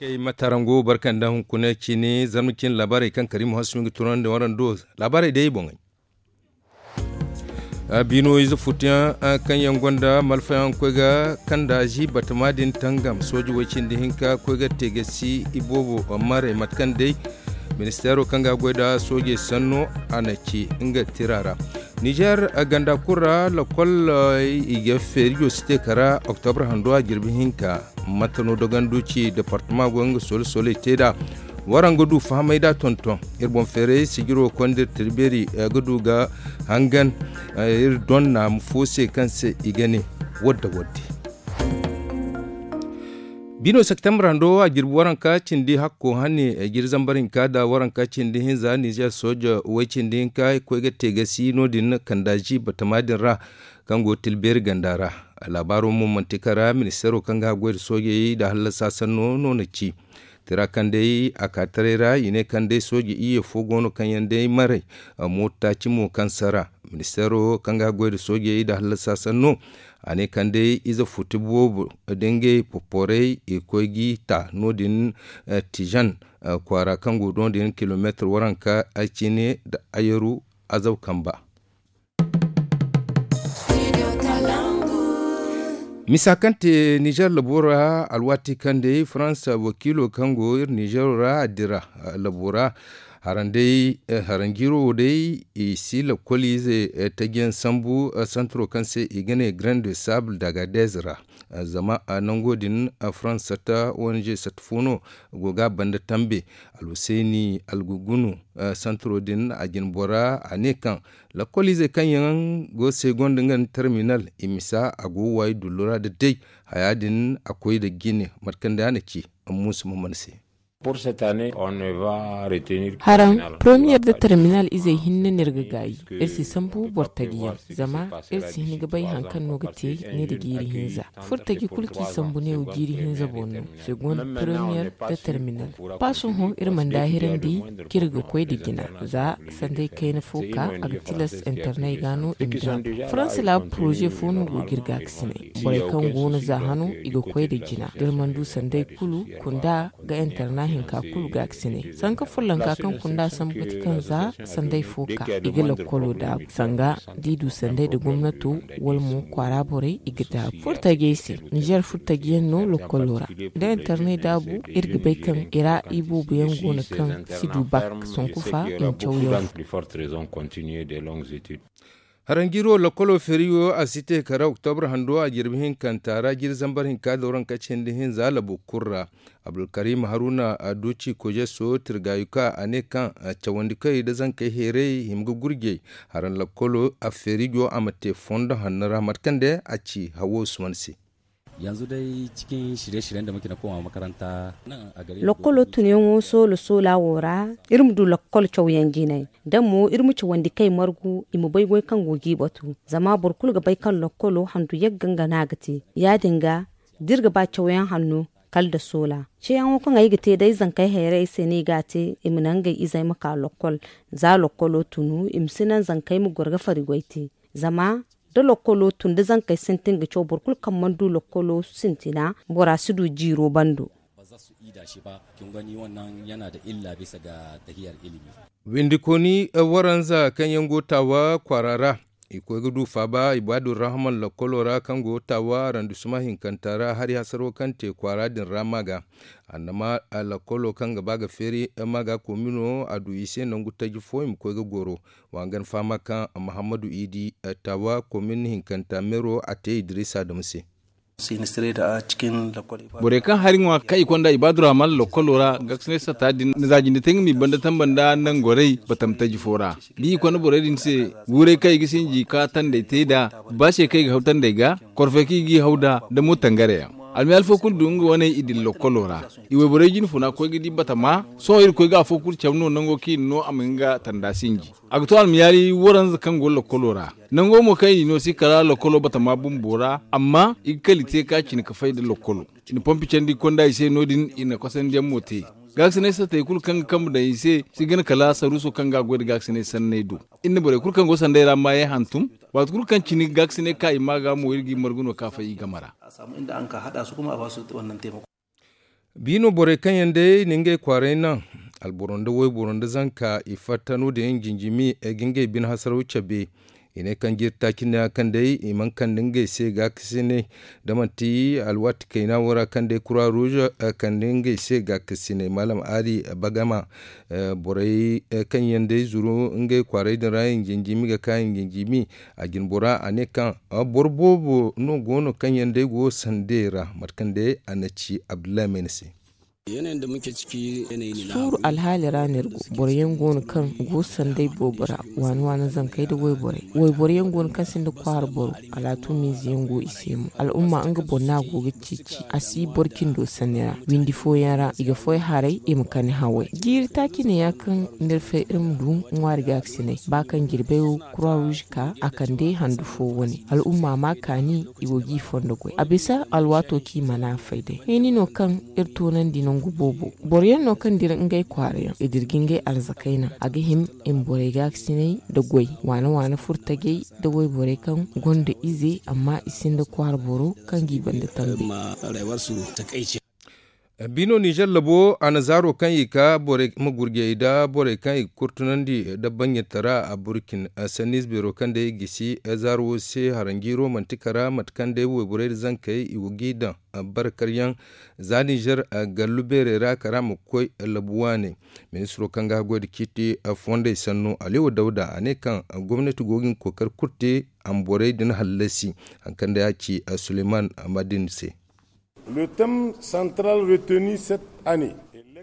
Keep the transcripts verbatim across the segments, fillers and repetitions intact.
Ay ma tarango barka nda hunkuna cine zarma cine laabaarey kaŋ karimu hasu nga turandi warando. Laabaarey day boŋey. Bino ize futuyaŋ kaŋ yaŋ gonda malfayaŋ koy ga kandaazi batama din tangam sooji way cindi hinka koy ga te ga si iboobo maray mate kaŋ day ministeero kaŋ ga goy nda soojey sanno a na ci nga tira ra. Nizer ganda kulu ra lakkol i ga feerijo si te kara oktobre hando a jirbi hinka. Mate no dogandu ci departama go nga sole sole te da waraŋ ga du fahamay da tonton iri boŋ feeray sijiro kondir tirbeeri ga du ga hangan iri donna ma fo se kaŋ se i ga ne wadda wadde. Bino septembre hando a jirbi waranka cindi hakko hane jiri zambar hinka da waranka cindi hinza nizer sooja way cindi hinka koy ga te ga si no- din kandaazi batama din ra kaŋ go tilbeeri ganda ra. Laabaaro mo manti kara ministeero kaŋ ga goy nda soojey nda hallasa sanno no na ci tira kaŋ day a ka taray ra i ne kaŋ day sooji iyye fo go no kaŋ yaŋ day maray mooto taaci mo kaŋ sara. Ministeero kaŋ ga goy nda soojey nda hallasa sanno a ne kaŋ day ize futi boobo da ngey poporey i koy g'i ta no- din tijan kwaara kaŋ go no- din kilomeetir waranka cine nda ayaru azaw kamba. Misa kaŋ te nizer labo ra alwaati kaŋ day farans wakiilo kaŋ go iri nizero ra a dira labo ra. Haranjiiro wo day i si lakkoliize taji yaŋ sambu santaro kaŋ se i ga ne grand de sable dagadez ra. Zama nango din farans satta ong satta fo no go ga a banda tambe alhuseeni algugunu santaro din a jine bora a ne kaŋ lakkoliizey kaŋ yaŋ go segonda nga nda terminal i misa a go ga waayi dullu ra nda day haya din a koy nda jine mate kaŋ day a na ci. Muusa ma mana se. Haraŋ premiyer nda terminal izey hinne no iri ga gaayi iri si sambu boro taji yaŋ zama iri si hin ga bay hari kaŋ no ga te ne nda jiiri hinza. Furo taji kulu kaŋ i sambu neewo jiiri hinza boŋ no segonda premiyer nda terminal. Ba sohõ iri mana daahirandi kaŋ iri ga koy nda jina za sanday kayna fo ka a ga tilas internet ga no i ma dira. Faransa laabu poroze fo no go ga iri gaakasinay borey kaŋ go no za hano i ga koy nda jina da iri mana du sanday kulu kunda ga internet hinka kulu gaakasinay sanka follanka kaŋ kunda sambu ga ti kaŋ za sanday fo ka i ga lakkolo daabu sanga da i du sanday nda gomnato wala mo kwaara borey i ga daabu furtajey se. Nizer furtaji yaŋ no lakkolo ra da internet daabu iri ga bay kaŋ i ra iboobo yaŋ go no kaŋ si du bak sonku fa i ma caw yaŋ. Haranjiiro lakkolo feeriyo a si te kala oktobre hando a jirbi hinkanta ra jiri zambar hinka dooranka cindi hinza labu kulu ra. Abdulkarim haruna a du ci kojeso tirgayuka a ne kaŋ cawandikoy nda zankey heeray hima ga gurjey. Haraŋ lakkolo a feerijo a ma te fondo hanno ra mate kaŋ day a ci hawo usman se. Yanzu dai cikin shirye-shiryen da muke na komawa makaranta. Lakkolo tunyaŋo soola soola wo ra iri ma du lakkol cawyaŋ jinay da mo iri ma cawandi kay margu i ma bay goy kaŋ go g'i batu zama boro kulu ga bay kaŋ lakkolo handu yagga nga no a ga te. Ya- din ga da iri ga ba cawyaŋ hanno kala nda soola ceeyaŋo kaŋ ay ga te day zankey hayray se no i ga a te i ma naŋ ngey izey ma ka lakkol. Za lakkolo tunu i ma si naŋ zankey ma goro ga fari goy te zama da lakkolo tun da zankey sintin ga caw boro kulu kaŋ mana du lakkolo sintina bora si du jiiro bando. Ba za su ida shi ba kin gani wannan yana da illa bisa ga tahiyar ilimi. Windikooni waranza kaŋ yaŋ go taawa kwaara ra i koy ga du faaba ibaadu rahman lakkolo ra kaŋ go taawa randusuma hinkanta ra hari hasaro kaŋ te kwaara din ra ma ga. Annama lakkolo kaŋ ga ba ga feeri ma ga komino a du i se nangu taji fo i ma koy ga goro. Wa ga ni fahama kaŋ mahammadu idi taawa komin hinkanta meero a te idrisa dama se. Borey kaŋ hari ŋwa kaŋ i konda ibaadu rahman lakkolo ra gaakisinay satta din na za jinde te nga m'i banda tamba nda nangorey batam taji fo ra. Da i konda borey din se guurey kaŋ i ga sinji ka tandey te nd'a ba se kaŋ i ga haw tandey ga korfey kaŋ i g'i haw nd'a da mo tangare yaŋ. Almiyaali fo kulu du nga wane i dira lakkolo ra. I wayborey jine funa koy ga di batama sohõ iri koy ga afo kulu cabe no nango kaŋ i na no a ma hin ga tanda sinji. A ga to almiyaali waranza kaŋ go lakkolo ra. Nango mo kaŋ i no si kala lakkolo batama bumbo ra amma i ga kala i te ka cine ka fay nda lakkolo. I na pompi candi konda i se no- din i na kosandiyaŋ mo te. Gaakisinay sattey kulu kaŋ ga kambe daŋ i se si gana kala saruuso kaŋ ga a goy nda gaakisinay sanney do. Iri na borey kulu kaŋ go sanday ra maayey hantum. Waati kulu kaŋ cine gaakisinay ka i ma ga mo iri g'i margu no ka fay i game ra. Bi no borey kaŋ yaŋ day na ngey kwaaray naŋ, alboro nda wayboro nda zanka i fatta no- din jinjimi ga ngey bine hasaraw cabe. I ne kaŋ jiiri taaci neeya kaŋ day i mana kande ngey se gaakasinay, da manti alwaati kayna wo ra kaŋ day kura ruuz kande ngey se gaakasinay maalam ali bagama. Borey kaŋ yaŋ day zuru ngey kwaaray din ra i jinjimi ga ka i jinjimi. A jinbora a ne kaŋ boro boobo no go no kaŋ yaŋ day go sandey ra mate kaŋ day a na ci abdullahi mayna se. Suuru alhaali ra no iri go. Boro yaŋ go no kaŋ go sanday boobo ra, waani waani zankey nda wayborey. Wayboro yaŋ go no kaŋ sinda kwaara boro, alaatumiize yaŋ go i se mo. Al'umma nga boro no a go ga ceeci, a si boro cindo sanni ra. Windi fooyaŋ ra i ga foy haray i ma kani haway. Jiiri taaci neeya kaŋ no iri fay iri ma du ŋwaari gaakasinay ba kaŋ jirbey wo kura ruuz ka a kande handu fo wane. Al'umma ma kaani i go g'i fondo goy a bisa alwaato kaŋ i mana a fay day. Hini no kaŋ iri toonandi nangu boobo. Boro yaŋ no kaŋ dira ngey kwaara yaŋ i dira ga ngey arzakey naŋ a ga hima i ma borey gaakasinay nda goy waana waana furtajey nda wayborey kaŋ gonda ize amma i sinda kwaara boro kaŋ g'i banda tambe. Bino nizer labo a na zaaro kaŋ i ka borey ma gurjey nda borey kaŋ i ga kurtunandi nda banjantara a burkin sanniize beero kaŋ day gisi zaaro wo se haranjiiro manti kara mate kaŋ day wayborey nda zankey i go g'i daŋ. Barkaryaŋ za nizer gallu beerey ra kara ma koy labu waaney. Ministiro kaŋ ga haggoy nda ciiti fondey sanno aliwa dawda a ne kaŋ gomnati go ga hin kookari kulu te a ma borey din hallasi. Hari kaŋ day a ci suleyman madin se.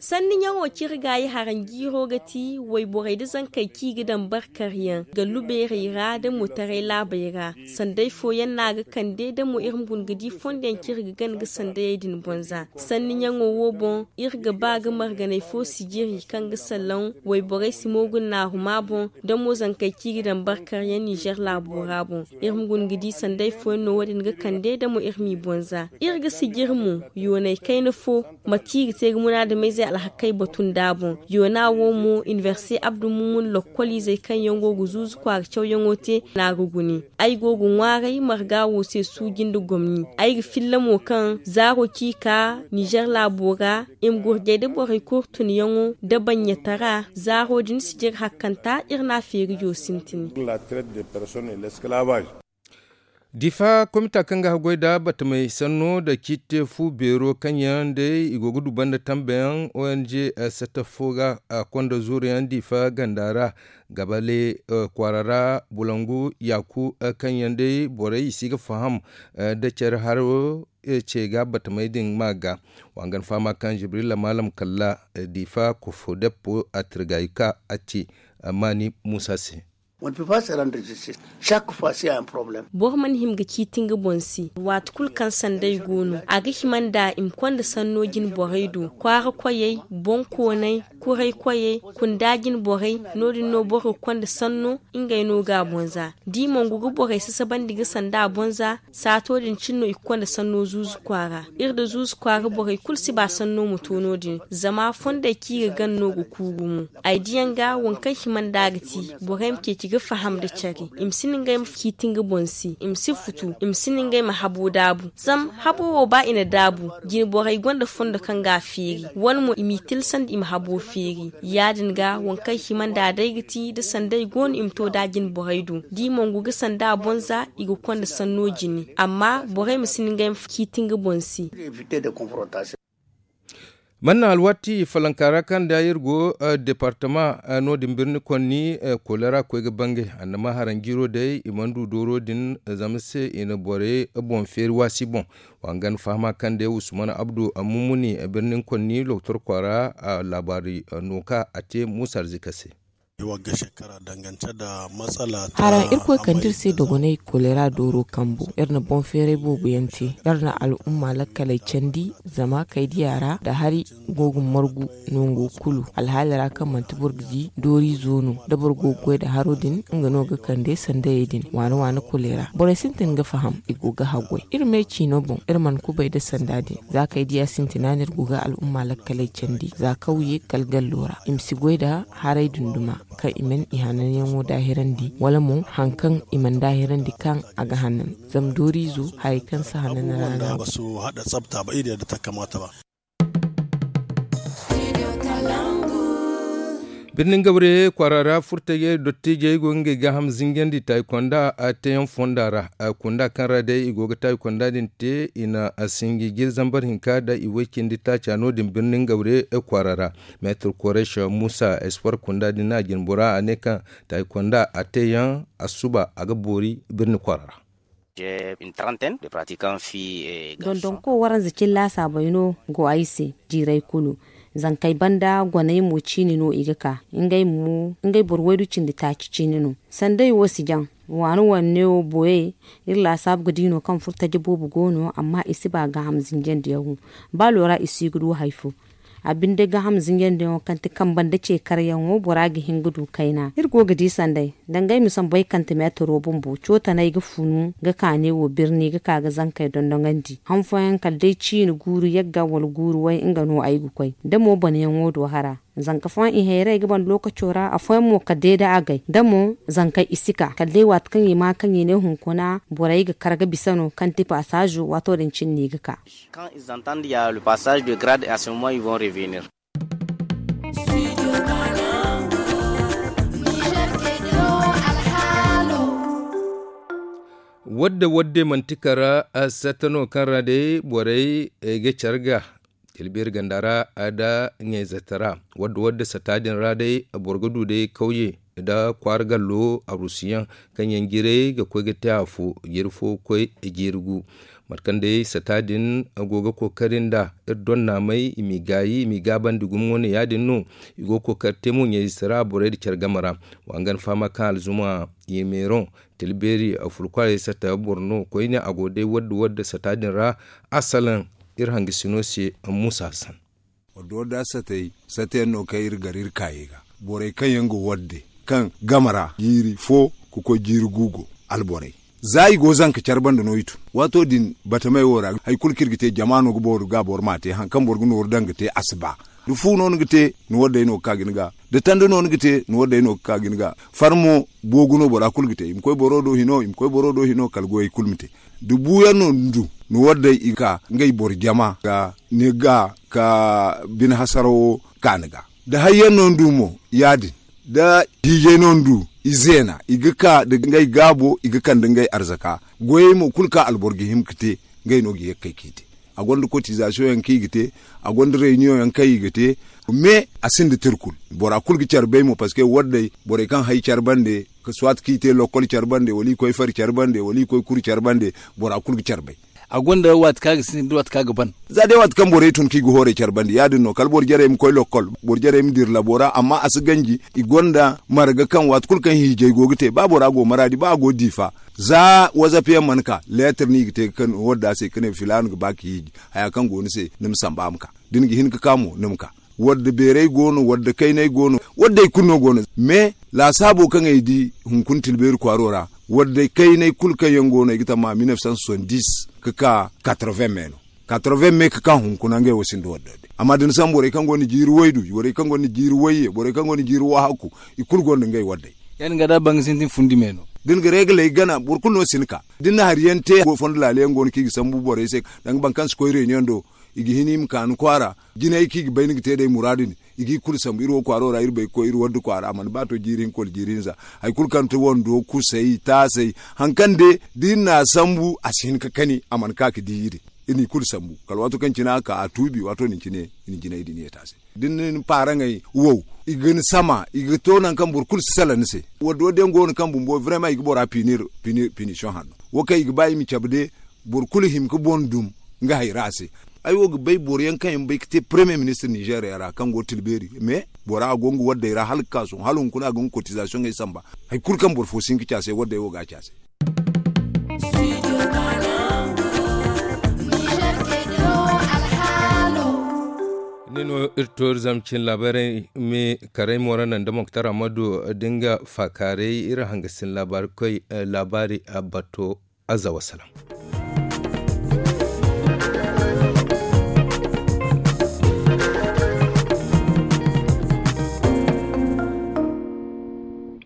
Sanni ɲaŋo kaŋ iri ga a ye haranjiiro ga ti wayborey nda zankey kaŋ i ga daŋ barkaryaŋ gallu beerey ra nda mootaray laabey ra. Sanday fooyaŋ no a ga kande da mo iri ma guna ga di fondo yaŋ kaŋ iri ga gana ga sandayey din bonza. Sanni ɲaŋo wo boŋ iri ga ba ga marganay fo sijiri kaŋ ga salaŋ wayborey si moogu naaru ma boŋ da mo zankey kaŋ i ga daŋ barkaryaŋ nizer laabo ra boŋ. Iri ma guna ga di sanday fooyaŋ no wo- din ga kande da mo iri m'i bonza. Iri ga sijiri mo yoonay kayna fo mate kaŋ i ga te ga munaadameyzey alhakey batu nd'a boŋ. Yoona wo mo inibersite abdu mumun lokkoliizey kaŋ yaŋ go ga zuuzu kwaara cawyaŋo te no a ga gune. Ay go ga ŋwaaray marga wo se suuji nda gomni. Ay ga filla mo kaŋ zaaro kaŋ i ka nizer laabo ra i ma gurjay nda borey kurtunyaŋo nda banɲatara zaaro din sijiri hakkanta iri n'a feerijo sintin. Difa komita kaŋ ga haggoy nda batamey sanno nda ciiti te fu beero kaŋ yaŋ day i go ga du banda tambeyaŋ ong satta fo ga konda zuuruyaŋ difa ganda ra gabale kwaara ra bulangu yaaku kaŋ yaŋ day borey i si ga faham nda care haro ce ga batamey din ma ga. Wa ngana fahama kaŋ jibrila maalam kalla difa kofo deppo a tirgayi ka a ci maani muusa se. Boro mana hima ga ciiti nga boŋ se waati kulu kaŋ sanday go no a ga hima nda i ma konda sanno jine borey do kwaara koyey boŋ koonay kuray koyey kunda jine borey no- din no boro ga konda sanno ngey no ga a boŋ za da i mongu ga borey sasabandi ga sanda a boŋ za. Saato din cine no i ga konda sanno zuuzu kwaara iri nda zuuzu kwaara borey kulu si ba sanno ma to no- din zama fondey kaŋ i ga gana no ga kuuru mo. Ay diyaŋ ga waŋ kaŋ hima nda a ga ti borey ma ceeci ga faham nda care i ma si na ngey ma ciiti nga boŋ se i ma si futu i ma si na ngey ma habo daabu zama habo wo ba i na daabu jine borey gonda fondo kaŋ ga a feeri wane mo i m'i tilsandi i ma habo feeri. Ya- din ga waŋ kaŋ hima nda day ga ti da sanday go no i ma to da jine borey do da i mongu ga sanda a boŋ za i ga konda sanno jine amma borey ma si na ngey ma ciiti nga boŋ se. Manna alwaati falanka ra kaŋ da iri go departama no- din birni konni kolera koy ga bangay annama haranjiiro day i mana du dooro din zama se i na borey boŋ feeri waasi boŋ. Wa nga ni fahama kaŋ day usman abdu mumuni birnin konni loktor kwaara laabaari no ka a te muusa arzika se. Haraŋ irkoy kande iri se dogonay kolera dooro kambo iri na boŋ feeray boobo yaŋ te. Iri na al'umma lakkaley candi zama kaydiya ra nda hari go ga margu nango kulu alhaali ra kaŋ manti boro ga di dooriizo no da boro go ga goy nda haro din nga no ga kande sandayey din waana waana kolera borey sintin ga faham i go ga haggoy iri me ciino boŋ iri mana kubay nda sanda din za kaydiya sintina no iri go ga al'umma lakkaley candi za kawye kala gallo ra i ma si goy nda haray dunduma kaŋ i mana i hananyaŋo daahirandi wala mo hari kaŋ i mana daahirandi kaŋ a ga hanan zama dooriizo haray kaŋ si hanan ra no a go. Birnin gabare kwaara ra furtajey dottijey go ga ngey gaaham zinjandi taayikonda a teeyaŋ fonda ra. Kunda kaŋ ra day i go ga taayikonda din te i na a sinji jiri zambar hinka da i way cindi taaca no- din birnin gabare kwaara ra. Meetir koresh muusa espoir kunda din a jinbora a ne kaŋ taayikonda a teeyaŋ a suba a ga boori birni kwaara ra. Dondonko waranza cilla saabay no go ay se jiiray kulu. Zankey banda goney mo ciini no i ga ka ngey boro waydu cindi taaci ciini no. Sanday wo si jaŋ waani wanne wo boyey. Iri laasaabu ga di no kaŋ furtaje boobo go no amma i si ba gaaham zinjandiyaŋ wo. Ba loora i si ga du hari fo. A binde gaaham zinjandiyaŋo kaŋ ti kamba nda ce karyaŋo bora ga hin ga du kayna iri go ga di sanday. Dangay ma sambu ay kante meetaro bumbo cootanay ga funu ga kaane wo birni ga ka ga zankey dondoŋandi han fooyaŋ kala day ciine guuru yagga wala guuru way nga no ay ga koy da mo boneyaŋo do hara. Zanka fooyaŋ i hayray ga ban lookaco ra afooyaŋ mo kala day da agay da mo zankey i si ka kala day waati kaŋ i ma kaŋ i ne hunkuna borey ga kar ga bisa no kaŋ ti paasaazo waato din cine no i ga ka. Quand ils entendent ya le passage de grade à ce moment ils vont revenir. Wadde wadde manti kara sata no kaŋ ra day borey ga care ga tilbeeri ganda ra da ɲayzata ra. Wadde wadde sata din ra day boro ga du day kawye nda kwaara gallo arusiyaŋ kaŋ yaŋ jiray ga koy ga te afo jiiri fo ga koy jiiri gu. Mate kaŋ day sata din go ga kookari nda iri donnaamey i m'i gaayi i m'i gaabandi gumo wane ya- din no. I go ga kookari te mo ɲayzata ra borey nda care game ra. Wa nga ni fahama kaŋ alzuma i meeroŋ tilbeeri afulkwarey sata boro no koyne a go day wadde wadde sata din ra. Asalaŋ iri hangasino se muusa hassan. Wadda wadda satay satayaŋ no kaŋ iri gar iri kaayey ga borey kaŋ yaŋ ga wadde kaŋ game ra jiiri fo ga koy jiiri gu go alborey. Za i go zanka care banda no i tun waato din batamey wo ra hari kulu kaŋ iri ga te jama no ga boro ga boro m'a te hari kaŋ boro ga nooru daŋ ga te a si ba. Da fu no ni ga te ni waddey no ga ka ga ni ga da tanda no ni ga te ni waddey no ga ka ga ni ga. Farmo boogu no bora kulu ga te i ma koy boro do hino i ma koy boro do hino kala goyey kulu ma te. Da buuyaŋ no ni du ni waddey i ga ka ngey boro jama ga ni ga ka bine hasarawo ka ni ga. Da hayyaŋ no ni du mo ya- din da hiijay no ni du i zeena i ga ka nda ngey gaabo i ga kande ngey arzaka. Goyey mo kulu kaŋ alboro ga hima ga te ngey no ga ye ga kay k'i te. A gonda kotizasiyoŋ yaŋ kaŋ i ga te a gonda reyniyoŋ yaŋ kaŋ i ga te. Me a sinda tirkul bora kulu ga care bay mo parceque waddey borey kaŋ hay care bande ka soit kaŋ i te lokkol care bande wala i koy fari care bande wala i koy kuri care bande. Bora kulu ga care bay. A gonda waati kaŋ a ga sintin da waati kaŋ a ga ban. Za day waati kaŋ borey tun kaŋ i ga hoorey care bande ya- din no kala boro jarey ma koy lokkol boro jarey ma dira labo ra amma a si ganji. I gonda marga kaŋ waati kulu kaŋ hiijay go ga te ba bora go maraadi ba a go diifa za wazap yaŋ mana ka leetar no i ga te ga kande wadda se ka ne filaana ga ba ka hiiji haya kaŋ go ni se ni ma samba a ma ka. Da ni ga hin ga ka mo ni ma ka. Wadda beeray go no wadda kaynay go no. Wadday kulu no go no. Mais laasaabo kaŋ ay di hunkuna tilbeeri kwaaro ra wadday kaynay kulu kaŋ yaŋ go no ay ga tamma mil neef cent soixante-dix ga ka quatre-vingts me no. Quatre-vingts me ga ka hunkuna ngey wo sinda wadda wadday amma da ni sambu borey kaŋ gonda jiiri waydu borey kaŋ gonda jiiri wayye borey kaŋ gonda jiiri wahaku i kulu gonda ngey wadday. Ya- din ga da banga sintin fundi me no. Da ni ga reegaley gana boro kulu no si ni ka da ni na hari yaŋ te fondo laala yaŋ go no kaŋ i ga sambu borey se. Danga boro kaŋ si koy reunion do i ga hin i ma ka ni kwaara. Jinay kaŋ i ga bay ni ga te day muraadu din i g'i kulu sambu iri wo kwaaro ra iri bay ga koy iri wadda kwaara a mana ba to jiiri hinka wala jiiri hinza. Hari kulu kaŋ ti wando kusay taasay hari kaŋ day da iri n'a sambu a si hin ga kani a mana ka ga di iri. Iri n'i kulu sambu kala waato kaŋ cine a ka a tuubi waato din cine i na jinay din yeeta a se. Da ni na ni paaraŋey wow i ga ni sama i ga to nangu kaŋ boro kulu si salaŋ ni se. Wadda wadda yaŋ go no kaŋ bumbo vraiment i ga bora pinir pinir pinition hanno wo kaŋ i ga ba i ma cabe de. Boro kulu hima ga boŋ dum nga hayra se. Ay wo ga bay boro yaŋ kaŋ yaŋ bay ga te premier ministre nizeeriya ra kaŋ go tilbeeri mais bora a go nga waddey ra hala ga ka sohõ hala hunkuna a go nga cotisation ey samba. Hari kulu kaŋ boro fo si hin ga ci a se waddey wo ga a ci a se. Ni no iri toori zama cin laabaarey me karay mo ra naŋ da moktar amadu da nga faakaaray iri hangasin laabaari koy laabaari bato. Azza wassalam.